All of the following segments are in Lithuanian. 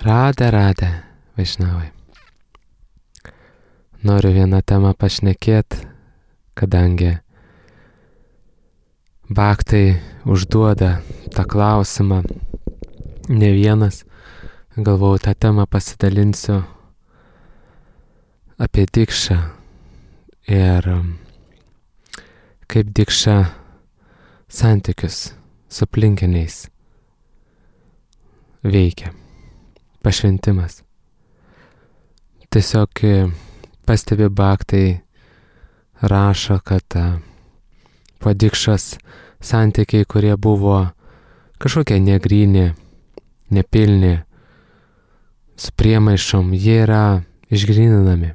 Radė, Vaišnavai. Noriu vieną temą pašnekėt, kadangi Bhaktai užduoda tą klausimą ne vienas. Galvojau, tą temą pasidalinsiu apie dikšą ir kaip dikša santykius su aplinkiniais veikia. Pašventimas. Tiesiog pastebi Bhaktai, rašo, kad po dikšos santykiai, kurie buvo kažkokie negryni, nepilni, su priemaišom, jie yra išgryninami.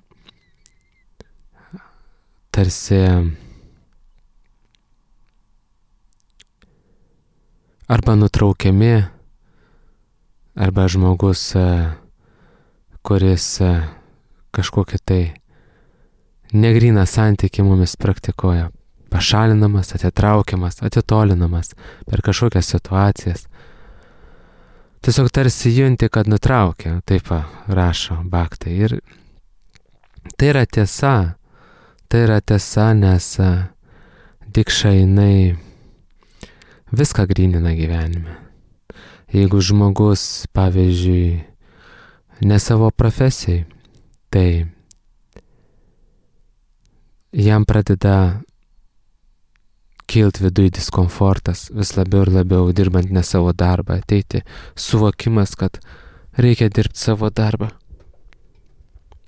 Tarsi arba nutraukiami, arba žmogus, kuris kažkokį tai negryną santykį mumis praktikuoja, pašalinamas, atitraukiamas, atitolinamas per kažkokias situacijas. Tiesiog tarsi junti, kad nutraukia, taip rašo Bhaktai. Ir tai yra tiesa, nes dikša jinai viską grynina gyvenime. Jeigu žmogus, pavyzdžiui, ne savo profesijai, tai jam pradeda kilt viduj diskomfortas, vis labiau ir labiau dirbant ne savo darbą, ateiti suvokimas, kad reikia dirbti savo darbą.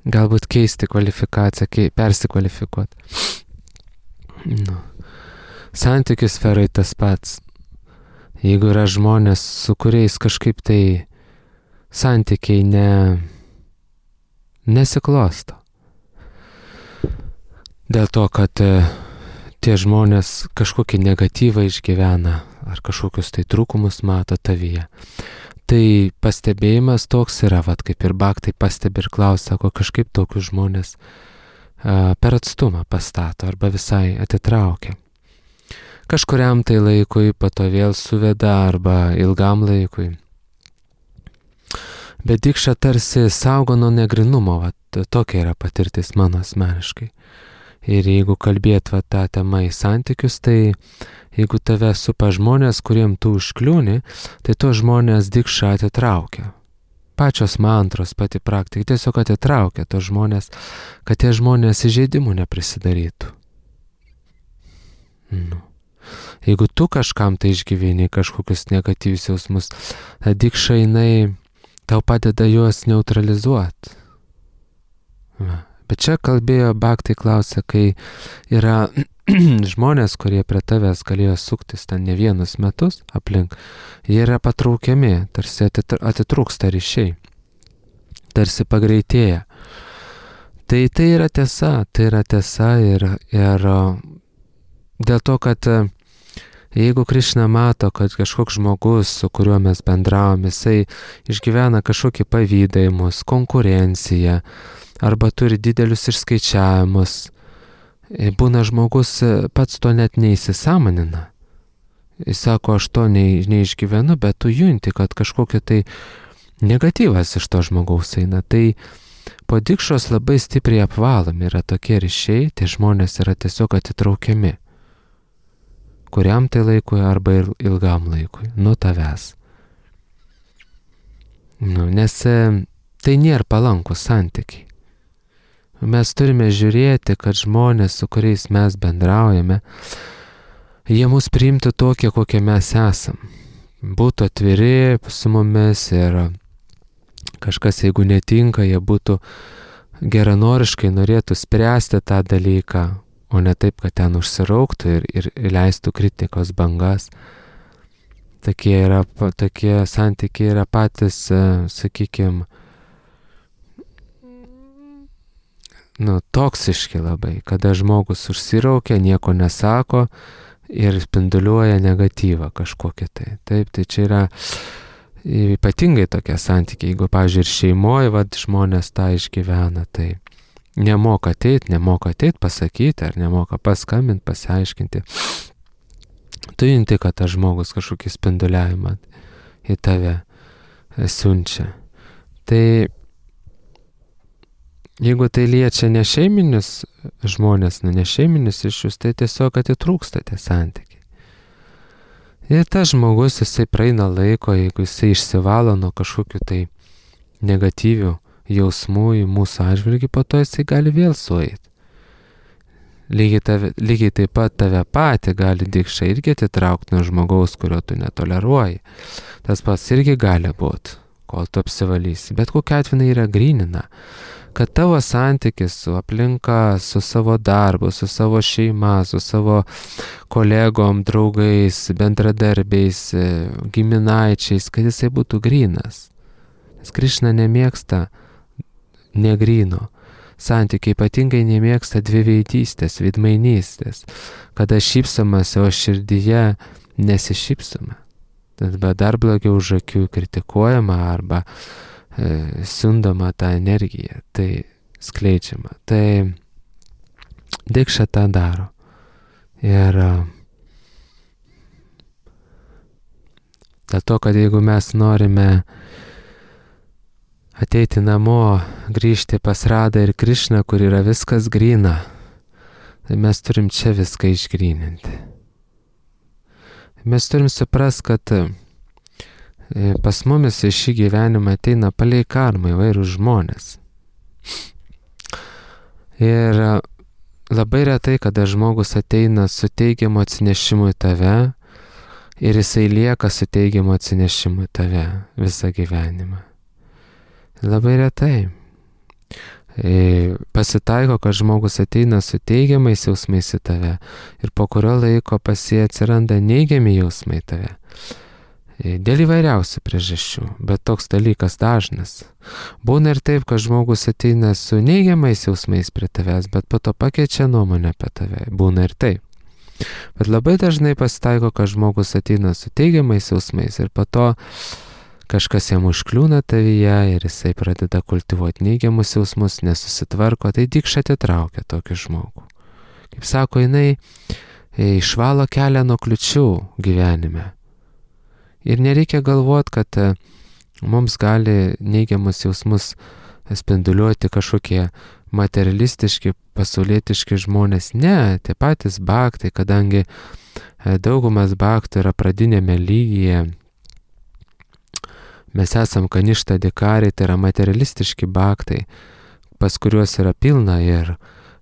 Galbūt keisti kvalifikaciją, persikvalifikuoti. Santykių sferai tas pats. Jeigu yra žmonės, su kuriais kažkaip tai santykiai nesiklosto. Dėl to, kad tie žmonės kažkokį negatyvą išgyvena ar kažkokius tai trūkumus mato tavyje. Tai pastebėjimas toks yra, kaip ir Bhaktai pastebi ir klausia, sako, kažkaip tokius žmonės per atstumą pastato arba visai atitraukia. Kažkuriam tai laikui, po to vėl suveda arba ilgam laikui. Bet dikša tarsi saugo nuo negrinumo, tokia yra patirtis mano asmeniškai. Ir jeigu kalbėt tą temą į santykius, tai jeigu tave supa žmonės, kuriem tu užkliūni, tai to žmonės dikša atitraukia. Pačios mantros, pati praktika tiesiog atitraukia to žmonės, kad tie žmonės įžeidimų neprisidarytų. Jeigu tu kažkam tai išgyveni kažkokius negatyvius jausmus, dikša jinai tau padeda juos neutralizuoti. Bet čia kalbėjo Bhaktai, klausia, kai yra žmonės, kurie prie tavęs galėjo suktis ten ne vienus metus aplink, jie yra patraukiami, tarsi atitrūksta ryšiai, tarsi pagreitėja. Tai yra tiesa ir dėl to, kad jeigu Krišna mato, kad kažkoks žmogus, su kuriuo mes bendravom, jisai išgyvena kažkokį pavydavimus, konkurenciją, arba turi didelius išskaičiavimus, būna žmogus pats to net neįsisąmonina. Jis sako, aš to neišgyvenu, bet tu junti, kad kažkokia tai negatyvas iš to žmogaus eina. Tai po dikšos labai stipriai apvalomi yra tokie ryšiai, tie žmonės yra tiesiog atitraukiami. Kuriam tai laikui arba ilgam laikui, nuo tavęs. Nes tai nėra palankus santykiai. Mes turime žiūrėti, kad žmonės, su kuriais mes bendraujame, jie mus priimtų tokie, kokie mes esam. Būtų atviri su mumis ir kažkas, jeigu netinka, jie būtų geranoriškai norėtų spręsti tą dalyką, o ne taip, kad ten užsirauktų ir leistų kritikos bangas. Tokie santykiai yra patys, sakykime, toksiški labai, kada žmogus užsiraukia, nieko nesako ir spinduliuoja negatyvą kažkokį tai. Taip, tai čia yra ypatingai tokie santykiai. Jeigu, pavyzdžiui, ir šeimoje žmonės tą išgyvena, tai nemoka ateit pasakyti, ar nemoka paskambinti, pasiaiškinti. Tu junti, kad tas žmogus kažkokį spinduliavimą į tave siunčia. Tai jeigu tai liečia nešeiminius žmonės, nešeiminius ryšius, tai tiesiog atitrūksta tie santykiai. Ir tas žmogus, jisai praeina laiko, jeigu jisai išsivalo nuo kažkokių tai negatyvių jausmų į mūsų atžvilgį, po to jisai gali vėl sueiti. Lygiai taip pat tave patį gali dikšai irgi atitraukti nuo žmogaus, kurio tu netoleruoji. Tas pats irgi gali būti, kol tu apsivalysi. Bet kokia atveju yra grynina, kad tavo santykis su aplinka, su savo darbu, su savo šeima, su savo kolegom, draugais, bendradarbiais, giminaičiais, kad jisai būtų grynas. Nes Krišna nemėgsta negryno. Santykiai ypatingai nemėgsta dviveidystės, veidmainystės, kada šypsomasi, o širdyje nesišypsoma. Tada dar blogiau už akių kritikuojama arba siundama tą energiją, tai skleidžiama. Tai dikša tą daro. Ir dėl to, kad jeigu mes norime ateiti namo, grįžti pas Radą ir Krišną, kur yra viskas gryna, tai mes turim čia viską išgryninti. Mes turim suprasti, kad pas mumis į šį gyvenimą ateina palei karmą įvairūs žmonės. Ir labai retai, kada žmogus ateina su teigiamu atsinešimu į tave ir jisai lieka su teigiamu atsinešimu į tave visą gyvenimą. Labai retai. Pasitaiko, kad žmogus ateina su teigiamais jausmais į tave ir po kurio laiko pas jį atsiranda neigiami jausmai į tave. Dėl įvairiausių priežasčių, bet toks dalykas dažnas. Būna ir taip, kad žmogus ateina su neigiamais jausmais prie tavęs, bet po to pakeičia nuomonę apie tave. Būna ir taip. Bet labai dažnai pasitaiko, kad žmogus ateina su teigiamais jausmais ir po to kažkas jam užkliūna tavyje ir jisai pradeda kultivuoti neigiamus jausmus, nesusitvarko, tai dikša atitraukia tokį žmogų. Kaip sako, jinai išvalo kelią nuo kliučių gyvenime. Ir nereikia galvoti, kad mums gali neigiamus jausmus spinduliuoti kažkokie materialistiški, pasaulietiški žmonės. Ne, tie patys bhaktai, kadangi daugumas bhaktų yra pradinėme lygyje. Mes esam kaništa dikariai, tai yra materialistiški bhaktai, pas kuriuos yra pilna ir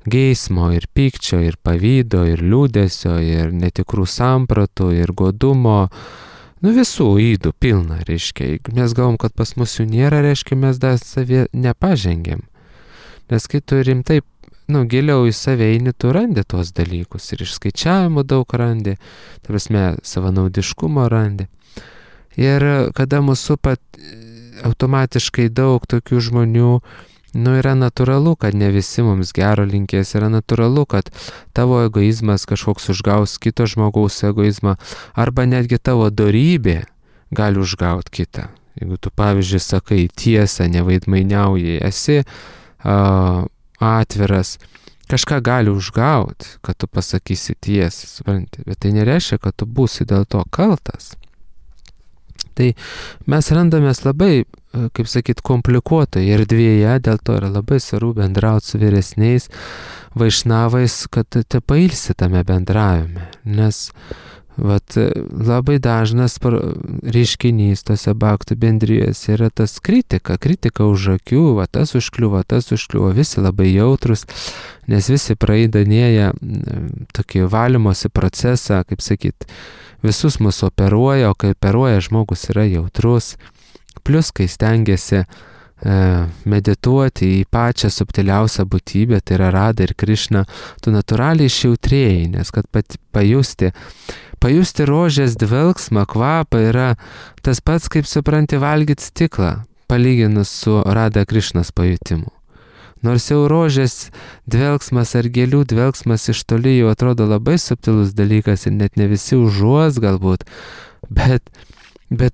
geismo, ir pykčio, ir pavydo, ir liūdesio, ir netikrų sampratų, ir godumo. Visų ydų pilna, reiškia. Jeigu mes galvom, kad pas mus jų nėra, reiškia, mes dar savie nepažengėm. Nes kai tu rimtai, giliau į save eini, tu randi tuos dalykus. Ir išskaičiavimo daug randi, ta prasme, savanaudiškumo randi. Ir kada mūsų pat automatiškai daug tokių žmonių, yra natūralu, kad ne visi mums gero linkės, yra natūralu, kad tavo egoizmas kažkoks užgaus kito žmogaus egoizmą, arba netgi tavo dorybė gali užgauti kitą. Jeigu tu, pavyzdžiui, sakai tiesą, nevaidmainiauji, esi atviras, kažką gali užgauti, kad tu pasakysi tiesą, supranti, bet tai nereiškia, kad tu būsi dėl to kaltas. Tai mes randamės labai, kaip sakyt, komplikuotoje erdvėje, dėl to yra labai svarbu bendrauti su vyresniais vaišnavais, kad te pailsi tame bendravime. Nes labai dažnas reiškinys tose bhaktų bendrijose yra tas kritika už akių, tas užkliuvo, visi labai jautrus, nes visi praeidanėja tokį valymosi procesą, kaip sakyt, visus mus operuoja, o kai operuoja žmogus yra jautrus, plus kai stengiasi medituoti į pačią subtiliausią būtybę, tai yra Radha ir Krišna, tu natūraliai išjautrėjai, nes kad pajusti rožės dvelksmą, kvapą yra tas pats, kaip supranti, valgyti stiklą, palyginus su Radha Krišnos pajutimu. Nors jau rožės dvelksmas ar gėlių dvelksmas iš toli jau atrodo labai subtilus dalykas ir net ne visi užuos galbūt, bet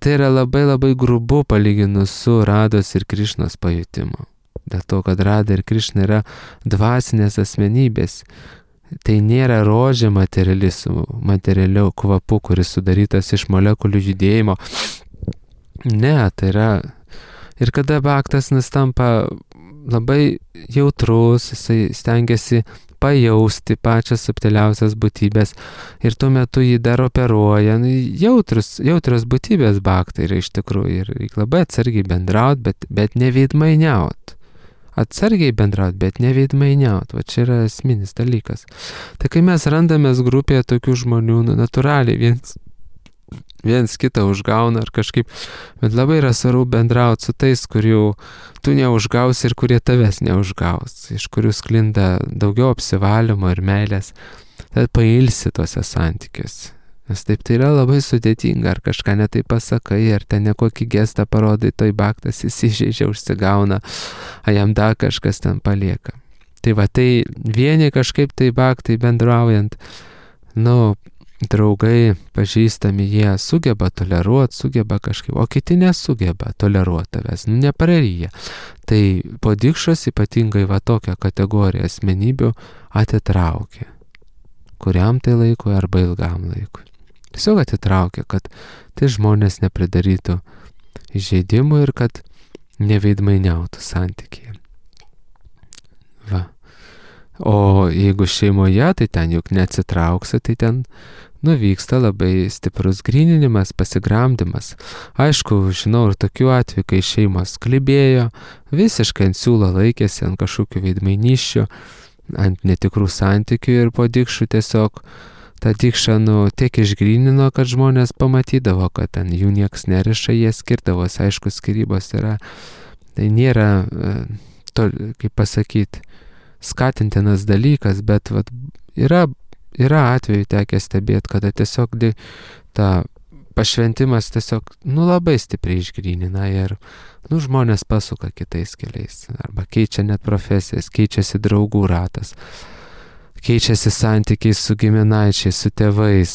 tai yra labai labai grubu palyginus su Rados ir Krišnos pajutimu. Dėl to, kad Radha ir Krišna yra dvasinės asmenybės. Tai nėra rožė materialiu kvapu, kuris sudarytas iš molekulių judėjimo. Ne, tai yra Ir kada bhaktas tampa labai jautrus, jisai stengiasi pajausti pačias subtiliausias būtybės ir tuo metu jį dar operuoja. Jautrios būtybės bhaktai yra iš tikrųjų ir reikia labai atsargiai bendraut, bet neveidmainiaut. Atsargiai bendraut, bet neveidmainiaut. Va čia yra esminis dalykas. Tai kai mes randamės grupėje tokių žmonių, natūraliai viens kitą užgauna ar kažkaip, bet labai yra svarbu bendrauti su tais, kurių tu neužgausi ir kurie tavęs neužgaus, iš kurių sklinda daugiau apsivalymo ir meilės, tad pailsi tuose santykiuose. Nes taip tai yra labai sudėtinga, ar kažką netai pasakai, ar ten nekokį gestą parodai, toj bhaktas įsižeidžia, užsigauna, a jam dar kažkas ten palieka. Tai va, tai vieni kažkaip tai bhaktai bendraujant, draugai, pažįstami, jie sugeba toleruoti, sugeba kažkaip, o kiti nesugeba toleruoti tavęs, nepraryja. Tai po dikšos ypatingai va tokią kategoriją asmenybių atitraukia. Kuriam tai laikui arba ilgam laikui. Tiesiog atitraukia, kad tai žmonės nepridarytų įžeidimų ir kad neveidmainiautų santykiai. Va. O jeigu šeimoje, tai ten juk neatsitrauksi, tai ten vyksta labai stiprus gryninimas, pasigramdimas. Aišku, žinau ir tokių atvejų, kai šeimos klibėjo, visiškai ant siūlo laikėsi, ant kažkokių veidmainysčių, ant netikrų santykių ir po dikšų tiesiog tą dikšą tiek išgrynino, kad žmonės pamatydavo, kad ten jų nieks neriša, jie skirdavosi. Aišku, skyrybos tai nėra, kaip pasakyti, skatintinas dalykas, bet yra atveju tekę stebėti, kada tiesiog ta pašventimas tiesiog labai stipriai išgrynina ir žmonės pasuka kitais keliais arba keičia net profesijas, keičiasi draugų ratas, keičiasi santykiai su giminaičiais, su tėvais.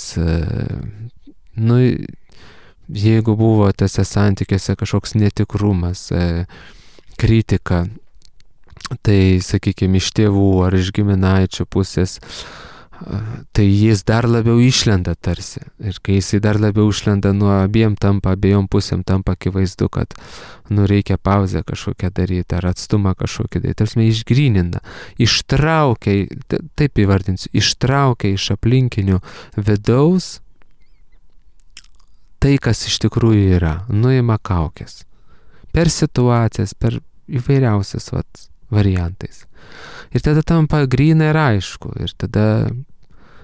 Jeigu buvo tose santykiuose kažkoks netikrumas, kritika, tai, sakykime, iš tėvų ar iš giminaičių pusės, tai jis dar labiau išlenda tarsi. Ir kai jisai dar labiau išlenda, abiejom pusėm tampa akivaizdu, kad reikia pauzę kažkokią daryti ar atstumą kažkokį daryti. Tarsi išgrynina, ištraukia, taip įvardinsiu, ištraukia iš aplinkinių vidaus tai, kas iš tikrųjų yra, nuima kaukės. Per situacijas, per įvairiausias variantais. Ir tada tampa gryna ir aišku. Ir tada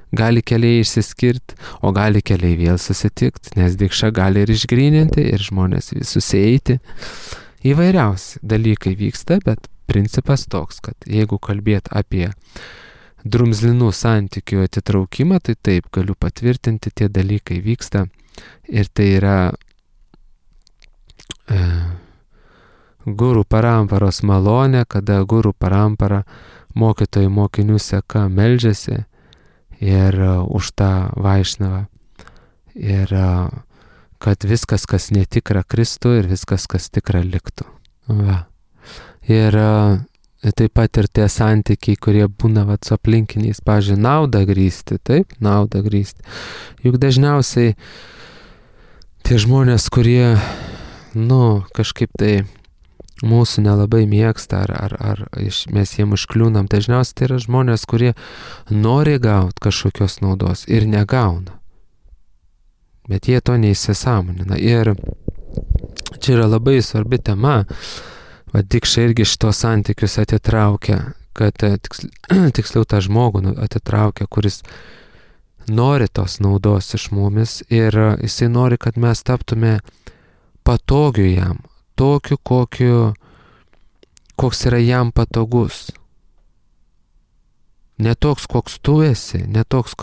gali keliai išsiskirti, o gali keliai vėl susitikti, nes dikša gali ir išgryninti, ir žmonės susieiti. Įvairiausi dalykai vyksta, bet principas toks, kad jeigu kalbėt apie drumzlinų santykių atitraukimą, tai taip, galiu patvirtinti, tie dalykai vyksta. Ir tai yra guru paramparos malonė, kada guru parampara mokytojų mokinių seka meldžiasi ir už tą vaišnavą. Ir kad viskas, kas netikra, kristų ir viskas, kas tikra, liktų. Va. Ir taip pat ir tie santykiai, kurie būna su aplinkiniais, pavyzdžiui, naudą grįsti, taip, naudą grįsti. Juk dažniausiai tie žmonės, kurie, kažkaip tai mūsų nelabai mėgsta, ar mes jiem užkliūnam, dažniausiai tai yra žmonės, kurie nori gauti kažkokios naudos ir negauna. Bet jie to neįsisąmonina. Ir čia yra labai svarbi tema, dikša irgi šitos santykius atitraukia, kad tiksliau tą žmogų atitraukia, kuris nori tos naudos iš mumis ir jisai nori, kad mes taptume patogiu jam, tokiu, koks yra jam patogus. Ne toks, koks tu esi, ne toks,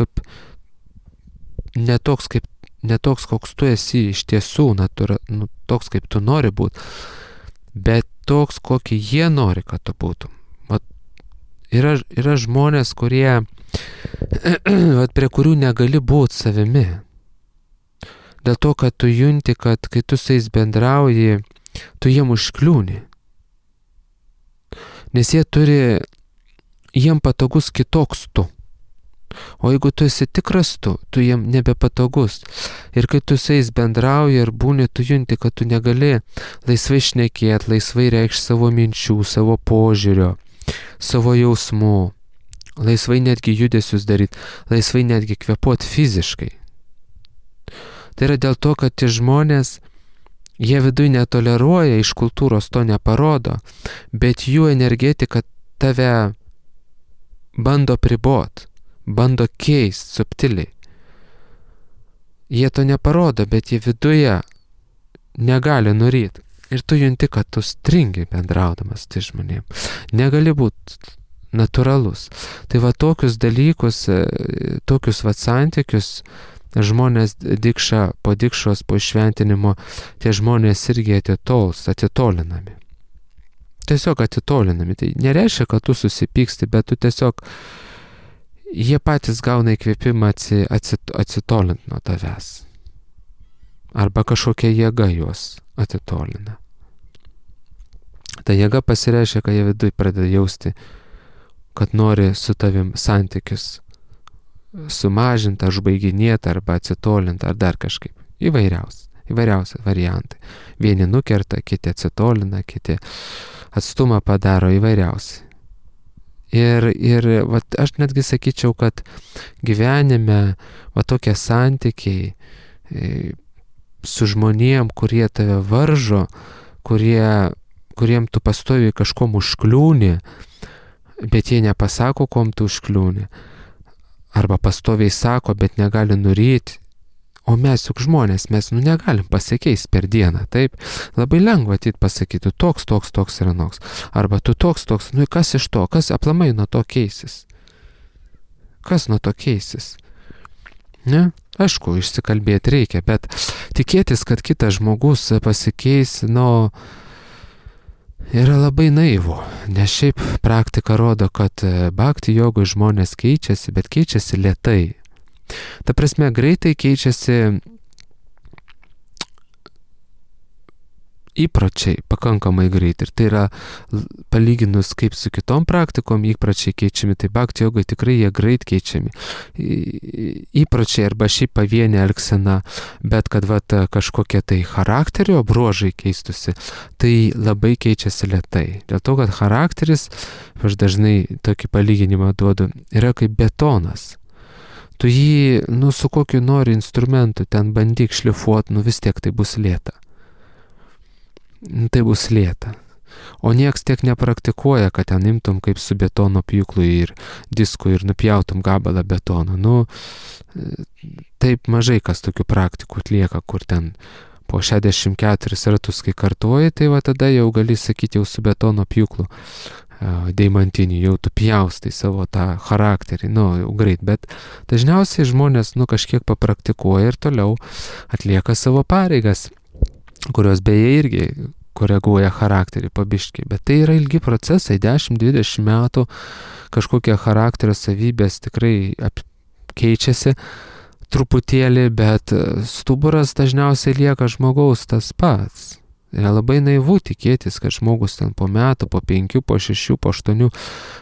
koks tu esi iš tiesų, toks, kaip tu nori būti, bet toks, kokį jie nori, kad tu būtum. Yra žmonės, kurie, prie kurių negali būti savimi. Dėl to, kad tu junti, kad kai tu su jais bendrauji, tu jiem užkliūni. Nes jiem patogus kitoks tu. O jeigu tu esi tikras tu jiem nebepatogus. Ir kai tu su jais bendrauji ir būni, tu junti, kad tu negali laisvai šnekėti, laisvai reikšti savo minčių, savo požiūrio, savo jausmų, laisvai netgi judesius daryti, laisvai netgi kvėpuoti fiziškai. Tai yra dėl to, kad tie žmonės, jie viduj netoleruoja, iš kultūros to neparodo, bet jų energetika tave bando pribot, bando keisti subtiliai. Jie to neparodo, bet jie viduje negali nuryti. Ir tu junti, kad tu stringi bendraudamas tai žmonėm. Negali būti natūralus. Tai va tokius dalykus, tokius va santykius žmonės po dikšos, po šventinimo, tie žmonės irgi atitolinami. Tiesiog atitolinami. Tai nereiškia, kad tu susipyksti, bet tu tiesiog, jie patys gauna įkvėpimą atsitolinti nuo tavęs. Arba kažkokia jėga juos atitolina. Ta jėga pasireiškia, kad jie viduj pradeda jausti, kad nori su tavim santykius sumažinti, užbaiginėti, arba atsitolinti, ar dar kažkaip. Įvairiausi variantai. Vieni nukerta, kiti atsitolina, kiti atstumą padaro, įvairiausi. Ir vat, aš netgi sakyčiau, kad gyvenime va tokie santykiai su žmonėm, kurie tave varžo, kuriem tu pastoviai kažkom užkliūni, bet jie nepasako, kom tu užkliūni. Arba pastoviai sako, bet negali nuryti. O mes juk žmonės, mes negalim pasikeisti per dieną, taip? Labai lengva ateit pasakyti, toks ir anoks. Arba tu toks, kas iš to, kas aplamai nuo to keisis? Kas nuo to keisis? Ne? Aišku, išsikalbėti reikia, bet tikėtis, kad kitas žmogus pasikeis, yra labai naivu. Nes šiaip praktika rodo, kad bhakti jogoj žmonės keičiasi, bet keičiasi lėtai. Ta prasme, greitai keičiasi įpročiai, pakankamai greit. Ir tai yra, palyginus kaip su kitom praktikom, įpročiai keičiami. Tai bhakti jogai tikrai jie greit keičiami. Įpročiai arba šiaip pavienė elgsena, bet kad kažkokie tai charakterio bruožai keistusi, tai labai keičiasi lėtai. Dėl to, kad charakteris, aš dažnai tokį palyginimą duodu, yra kaip betonas. Tu jį, su kokiu nori instrumentu ten bandyk šlifuoti, vis tiek tai bus lėta. Tai bus lėta. O nieks tiek nepraktikuoja, kad ten imtum kaip su betono pjūklu ir disku ir nupjautum gabalą betono. Taip mažai kas tokių praktikų atlieka, kur ten po 64 ratus, kai kartuoji, tai tada jau gali sakyti jau su betono pjūklu deimantinį, jau tu pjaustai savo tą charakterį, jau greit, bet dažniausiai žmonės kažkiek papraktikuoja ir toliau atlieka savo pareigas, kurios beje irgi koreguoja charakterį pabiškiai, bet tai yra ilgi procesai, 10-20 metų kažkokie charakterio savybės tikrai keičiasi truputėlį, bet stuburas dažniausiai lieka žmogaus tas pats. Yra labai naivu tikėtis, kad žmogus ten po metų, po 5, po 6, po 8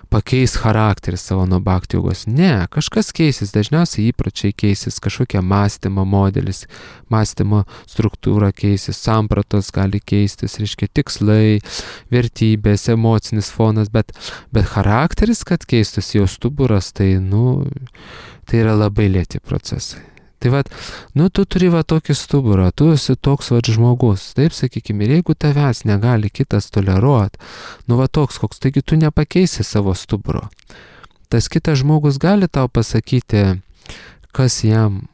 pakeis charakterį savo nuo bhakti jogos. Ne, kažkas keisis, dažniausiai įpročiai keisis, kažkokia mąstymo modelis, mąstymo struktūra keisis, sampratos gali keistis, reiškia tikslai, vertybės, emocinis fonas, bet charakteris, kad keistųsi jo stuburas, tai tai yra labai lėti procesai. Tai tu turi tokį stuburą, tu esi toks žmogus, taip sakykime, ir jeigu tavęs negali kitas toleruoti, toks koks, taigi tu nepakeisi savo stuburo. Tas kitas žmogus gali tau pasakyti, kas jam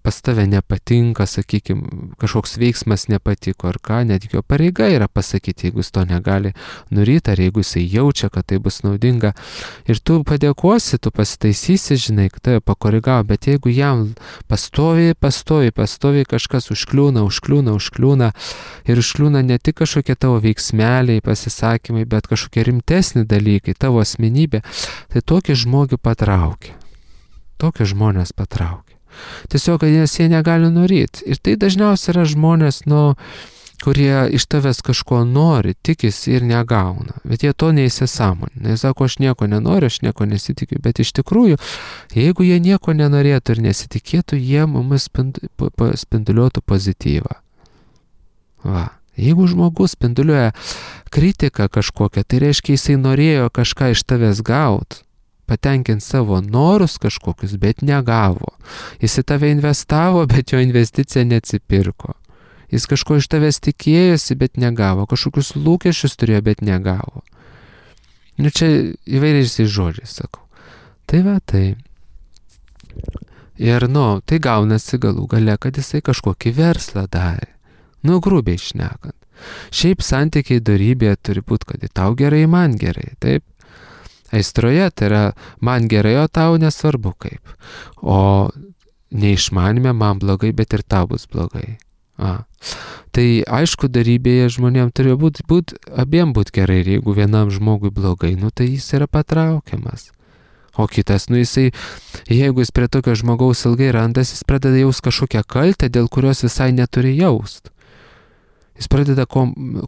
pas tave nepatinka, sakykime, kažkoks veiksmas nepatiko ar ką, net jo pareiga yra pasakyti, jeigu jis to negali nuryti, ar jeigu jisai jaučia, kad tai bus naudinga. Ir tu padėkosi, tu pasitaisysi, žinai, kad tave pakorigavo, bet jeigu jam pastoviai kažkas užkliūna ir užkliūna ne tik kažkokie tavo veiksmeliai, pasisakymai, bet kažkokie rimtesni dalykai, tavo asmenybė, tai tokį žmogų patraukia. Tokie žmonės patraukia. Tiesiog, nes jie negali nuryti. Ir tai dažniausiai yra žmonės, kurie iš tavęs kažko nori, tikisi ir negauna, bet jie to neįsisąmonina. Jie sako, aš nieko nenoriu, aš nieko nesitikiu, bet iš tikrųjų, jeigu jie nieko nenorėtų ir nesitikėtų, jie mumis spinduliuotų pozityvą. Va. Jeigu žmogus spinduliuoja kritiką kažkokią, tai reiškia, jisai norėjo kažką iš tavęs gauti, patenkinti savo norus kažkokius, bet negavo. Jis į tave investavo, bet jo investicija neatsipirko. Jis kažko iš tavęs tikėjosi, bet negavo. Kažkokius lūkesčius turėjo, bet negavo. Nu čia įvairiais žodžiais sakau. Tai va, tai. Ir tai gaunasi galų gale, kad jisai kažkokį verslą darė. Grubiai šnekant. Šiaip santykiai dorybėje turi būti, kad tau gerai, man gerai, taip? Aistroje tai yra man gerai, o tau nesvarbu kaip. O neišmanime man blogai, bet ir tau bus blogai. Tai aišku, darybėje žmonėms turėjo būti abiem būti gerai, ir jeigu vienam žmogui blogai, tai jis yra patraukiamas. O kitas, jisai, jeigu jis prie tokio žmogaus ilgai randas, jis pradeda jaust kažkokią kaltę, dėl kurios visai neturi jaust. Jis pradeda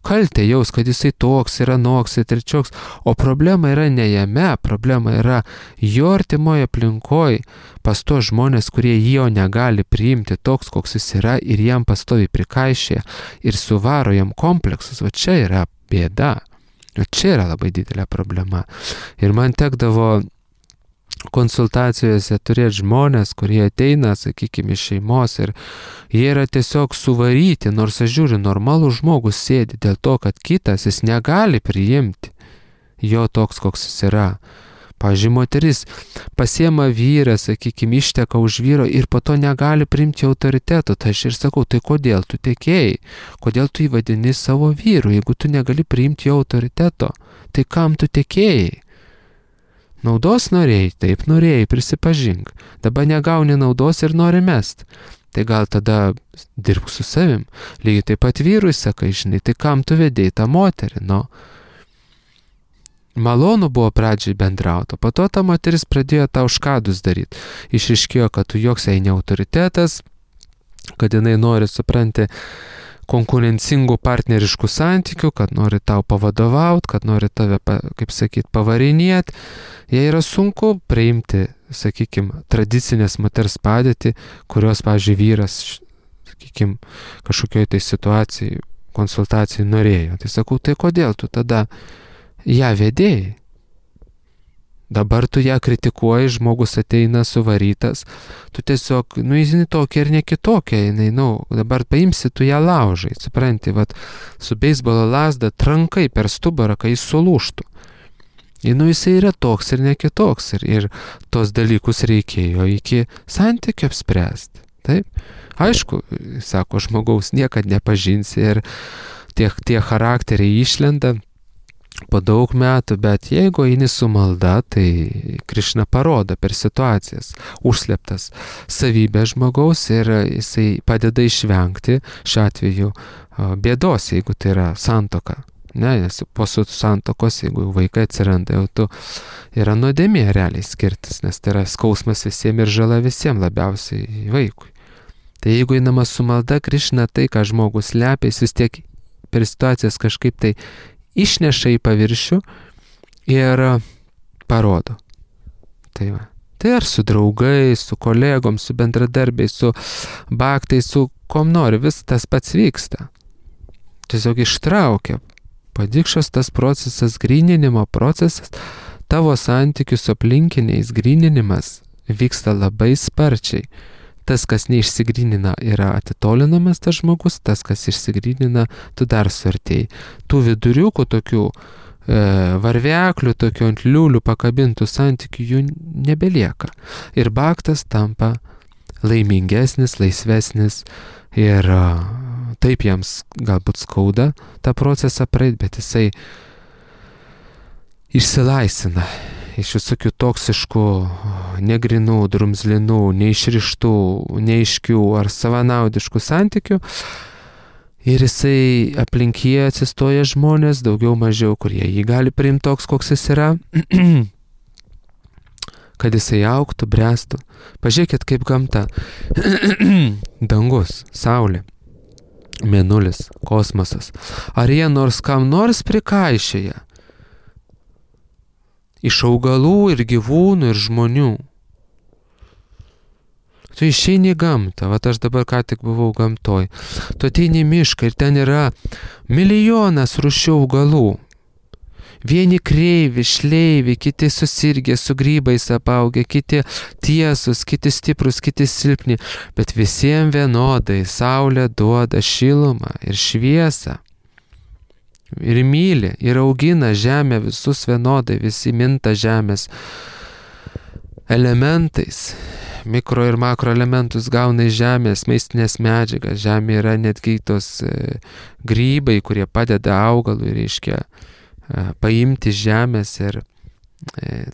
kaltę jaust, kad jisai toks yra, noks ir trečioks, o problema yra ne jame, problema yra jo artimoje aplinkoje, pas to žmonės, kurie jo negali priimti toks, koks jis yra, ir jam pastovi prikaišė ir suvaro jam kompleksus. O čia yra bėda, o čia yra labai didelė problema. Ir man tekdavo konsultacijose turėti žmonės, kurie ateina, sakykime, iš šeimos ir jie yra tiesiog suvaryti, nors aš žiūriu, normalus žmogus sėdi dėl to, kad kitas jis negali priimti jo toks, koks jis yra. Pavyzdžiui, moteris pasiema vyrą, sakykime, išteka už vyro ir po to negali priimti autoriteto. Tai aš ir sakau, tai kodėl tu tekėjai? Kodėl tu įvadini savo vyru, jeigu tu negali priimti jo autoriteto? Tai kam tu tekėjai? Naudos norėjai, taip norėjai, prisipažink. Dabar negauni naudos ir nori mest. Tai gal tada dirbk su savim. Lygiai taip pat vyrui sakai, žinai, tai kam tu vedėjai tą moterį, Malonu buvo pradžiai bendrauti, po to ta moteris pradėjo tau škadus daryti. Išriškėjo, kad tu joks jai ne autoritetas, kad jinai nori, supranti, konkurencingų partneriškų santykių, kad nori tau pavadovauti, kad nori tave, kaip sakyt, pavarinėti. Jai yra sunku priimti, sakykime, tradicinės moters padėtį, kurios, pavyzdžiui, vyras, sakykime, kažkokioje tai situacijai, konsultacijai norėjo. Tai sakau, tai kodėl tu tada ją vedėjai? Dabar tu ją kritikuoji, žmogus ateina suvarytas, tu tiesiog, jinai tokia ir ne kitokia, dabar paimsi, tu ją laužai, supranti, su beisbolo lazda trankai per stubarą, kai jis sulūžtų. Jisai yra toks ir ne kitoks, ir tos dalykus reikėjo iki santykių apspręsti, taip? Aišku, sako, žmogaus niekad nepažinsi ir tie charakteriai išlenda po daug metų, bet jeigu eini su malda, tai Krišna parodo per situacijas užslėptas savybės žmogaus ir jisai padeda išvengti šiuo atveju bėdos, jeigu tai yra santuoka. Nes po santuokos, jeigu vaikai atsiranda, jau tu yra nuodėmė realiai skirtis, nes tai yra skausmas visiems ir žala visiems, labiausiai vaikui. Tai jeigu einama su malda, Krišna tai, ką žmogus slepia, jis vis tiek per situacijas kažkaip tai išneša į paviršių ir parodo. Tai va. Tai ar su draugais, su kolegom, su bendradarbiais, su baktais, su kom nori, vis tas pats vyksta. Tiesiog ištraukia. Padikšos tas procesas, gryninimo procesas, tavo santykių su aplinkiniais gryninimas vyksta labai sparčiai. Tas, kas neišsigrynina, yra atitolinamas tas žmogus, tas, kas išsigrynina, tu dar suartėjai. Tų viduriukų, tokių varveklių, tokių ant liulių pakabintų santykių jų nebelieka. Ir baktas tampa laimingesnis, laisvesnis ir taip jiems galbūt skauda tą procesą praeit, bet jisai išsilaisvina iš visokių toksiškų, negrinų, drumzlinų, neišrištų, neaiškių ar savanaudiškų santykių. Ir jisai aplink jį atsistoja žmonės, daugiau mažiau, kurie jį gali priimti toks, koks jis yra, kad jisai augtų, bręstų. Pažiūrėkit, kaip gamta. Dangus, saulė. mėnulis, kosmosas. Ar jie nors kam nors prikaišėja? Iš augalų ir gyvūnų ir žmonių. Tu išeini į gamtą, vat aš dabar ką tik buvau gamtoj. Tu ateini į mišką ir ten yra milijonas rūšių augalų. Vieni kreivi, šleivi, kiti susirgę, su grybais apaugę, kiti tiesus, kiti stiprus, kiti silpni. Bet visiems vienodai saulė duoda šilumą ir šviesą. Ir myli, ir augina žemę visus vienodai, visi minta žemės elementais. Mikro ir makro elementus gauna iš žemės, maistinės medžiagas. Žemė yra netgi tos grybai, kurie padeda augalui, reiškia, paimti iš žemės ir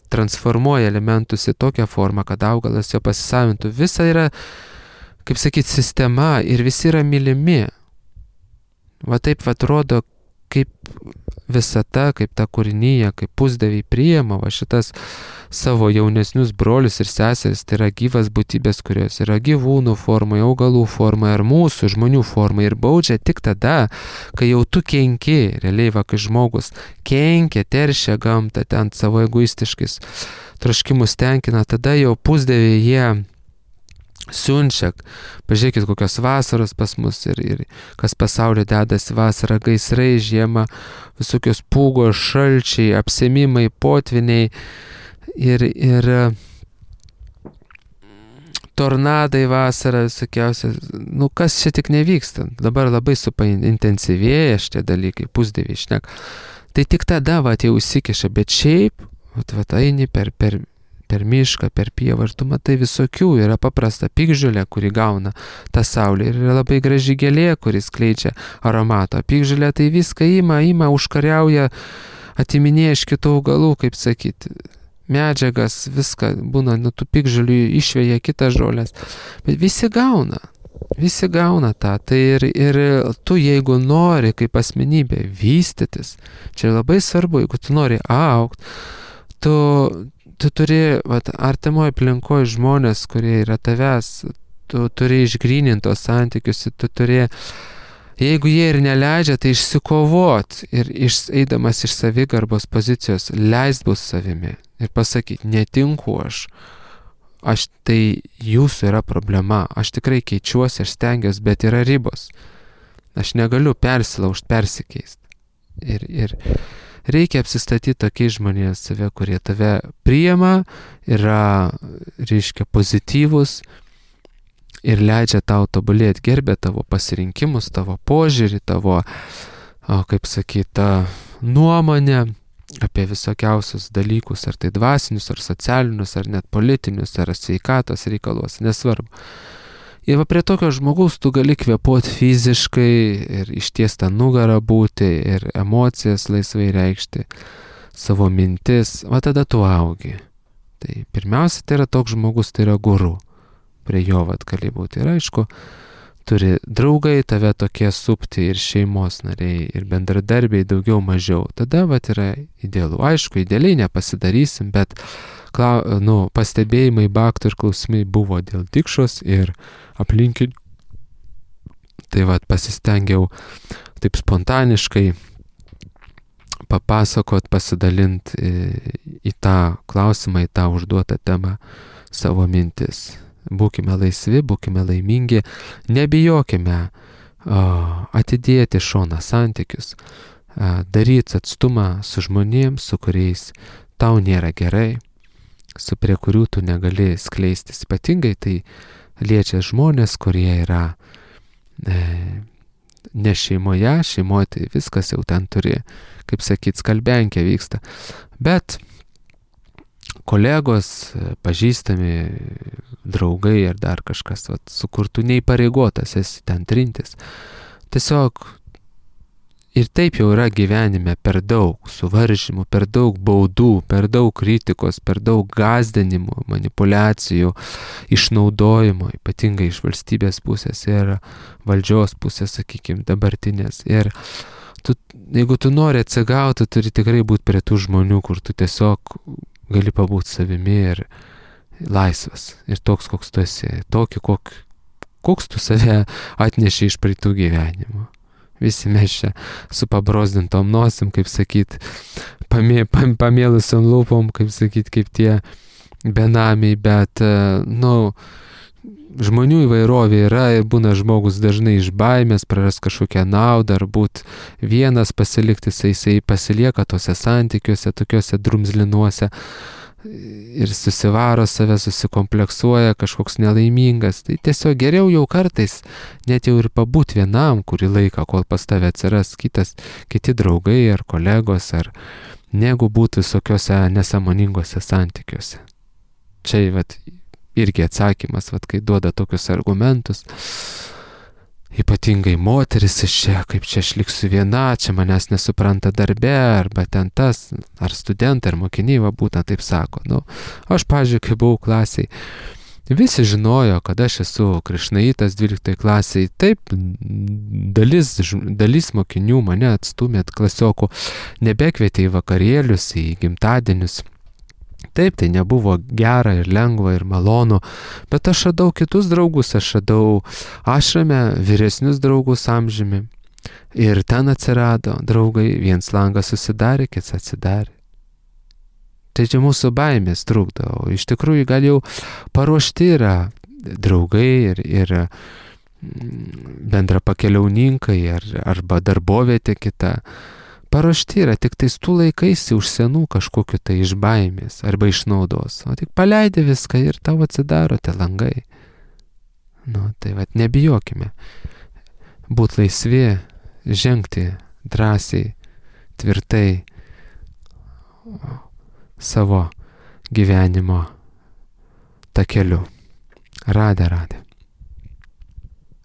transformuoja elementus į tokią formą, kad augalas jo pasisavintų. Visa yra, kaip sakyti, sistema ir visi yra mylimi. Va taip atrodo, kaip visata, kaip ta kūrinyje, kaip pusdieviai priima va šitas savo jaunesnius brolius ir seseris, tai yra gyvas būtybės, kurios yra gyvūnų formoje, augalų formoje ar mūsų žmonių formoje ir baudžia tik tada, kai jau tu kenki, realiai va, kai žmogus kenkia, teršia gamtą ten savo egoistiškais troškimus tenkina, tada jau pusdieviai jie siunčia, pažiūrėkit kokios vasaros pas mus ir kas pasaulyje dedasi vasarą, gaisrai, žiemą, visokios pūgos, šalčiai, apsemimai, potviniai ir tornadai vasarą, visokiausia, kas čia tik nevyksta, dabar labai intensyvėja šitie dalykai, pusdieviai šnek. Tai tik tada jau įsikiša, bet šiaip, eini per mišką, per pievą ir tu matai visokių, yra paprasta piktžolė, kuri gauna tą saulę ir yra labai graži gėlė, kuris skleidžia aromatą. Piktžolė tai viską ima, užkariauja, atiminėja iš kitų augalų, kaip sakyti, medžiagas, viską būna, tų piktžolių išveja kitas žolės, bet visi gauna tą, tai ir tu jeigu nori kaip asmenybė vystytis, čia labai svarbu, jeigu tu nori augti, tu turi artimoje aplinkoje žmonės, kurie yra tavęs, tu turi išgrynintos santykius, tu turi, jeigu jie ir neleidžia, tai išsikovot ir eidamas iš savigarbos pozicijos, leist bus savimi ir pasakyti, netinku aš tai jūsų yra problema, aš tikrai keičiuosi, aš stengiuosi, bet yra ribos, aš negaliu persilaužti, persikeisti ir reikia apsistatyti tokiais žmonės save, kurie tave priima, yra, reiškia, pozityvus ir leidžia tau tobulėti, gerbia tavo pasirinkimus, tavo požiūrį, tavo, kaip sakyti, nuomonę apie visokiausius dalykus, ar tai dvasinius, ar socialinius, ar net politinius, ar sveikatos reikalos, nesvarbu. Ir prie tokio žmogaus tu gali kvėpuoti fiziškai ir ištiestą nugarą būti ir emocijas laisvai reikšti, savo mintis, tada tu augi. Tai pirmiausia, tai yra toks žmogus, tai yra guru, prie jo gali būti. Ir aišku, turi draugai tave tokie supti ir šeimos nariai ir bendradarbiai daugiau mažiau. Tada yra idealu. Aišku, idealiai nepasidarysim, bet pastebėjimai, baktų ir klausimai buvo dėl Dikšos ir aplinkinių. Tai pasistengiau taip spontaniškai papasakot, pasidalint į tą klausimą, į tą užduotą temą savo mintis. Būkime laisvi, būkime laimingi, nebijokime atidėti šoną santykius, daryti atstumą su žmonėms, su kuriais tau nėra gerai, su prie kurių tu negali skleistis. Ypatingai tai liečia žmonės, kurie yra ne šeimoje tai viskas jau ten turi, kaip sakyt, skalbenkė vyksta. Bet kolegos, pažįstami, draugai ar dar kažkas, su kur tu neįpareigotas esi ten trintis. Tiesiog ir taip jau yra gyvenime per daug suvaržymų, per daug baudų, per daug kritikos, per daug gąsdinimų, manipulacijų, išnaudojimo, ypatingai iš valstybės pusės ir valdžios pusės, sakykime, dabartinės. Ir jeigu tu nori atsigauti, turi tikrai būti prie tų žmonių, kur tu tiesiog gali pabūti savimi ir laisvas. Ir toks, koks tu esi. Tokį, koks tu save atneši iš praeitų gyvenimų. Visi mes čia su pabrozdintom nosim, kaip sakyt, pamėlusiom lūpom, kaip sakyt, kaip tie benamiai, bet, žmonių įvairovė yra ir būna žmogus dažnai iš baimės, praras kažkokią naudą, ar būt vienas pasilikti, jisai pasilieka tose santykiuose, tokiuose drumzlinuose ir susivaro save, susikompleksuoja, kažkoks nelaimingas. Tai tiesiog geriau jau kartais net jau ir pabūt vienam kurį laiką, kol pas tave atsiras kiti draugai ar kolegos, ar negu būt visokiuose nesąmoningose santykiuose. Čia irgi atsakymas, kai duoda tokius argumentus. Ypatingai moteris iš čia, kaip čia aš liksiu viena, čia manęs nesupranta darbe, arba ten tas, ar studentai, ar mokiniai, būtent taip sako. Aš, pavyzdžiui, kai buvau klasiai, visi žinojo, kad aš esu krišnaitas 12 klasiai. Taip, dalis mokinių mane atstumė klasiokų, nebekvietė į vakarėlius, į gimtadienius. Taip, tai nebuvo gera ir lengva ir malonu, bet aš radau kitus draugus, aš radau ašrame vyresnius draugus amžiumi. Ir ten atsirado draugai, viens langas susidarė, kits atsidarė. Tai čia mūsų baimės trukdo, o iš tikrųjų gal jau paruošti yra draugai ir bendra pakeliauninkai arba darbovietė kita. Paruošti yra tik tais tų laikaisi už senų kažkokiu tai iš baimės arba iš naudos. O tik paleidi viską ir tau atsidaro tie langai. Tai nebijokime. Būt laisvi, žengti drąsiai, tvirtai savo gyvenimo takeliu. Radė.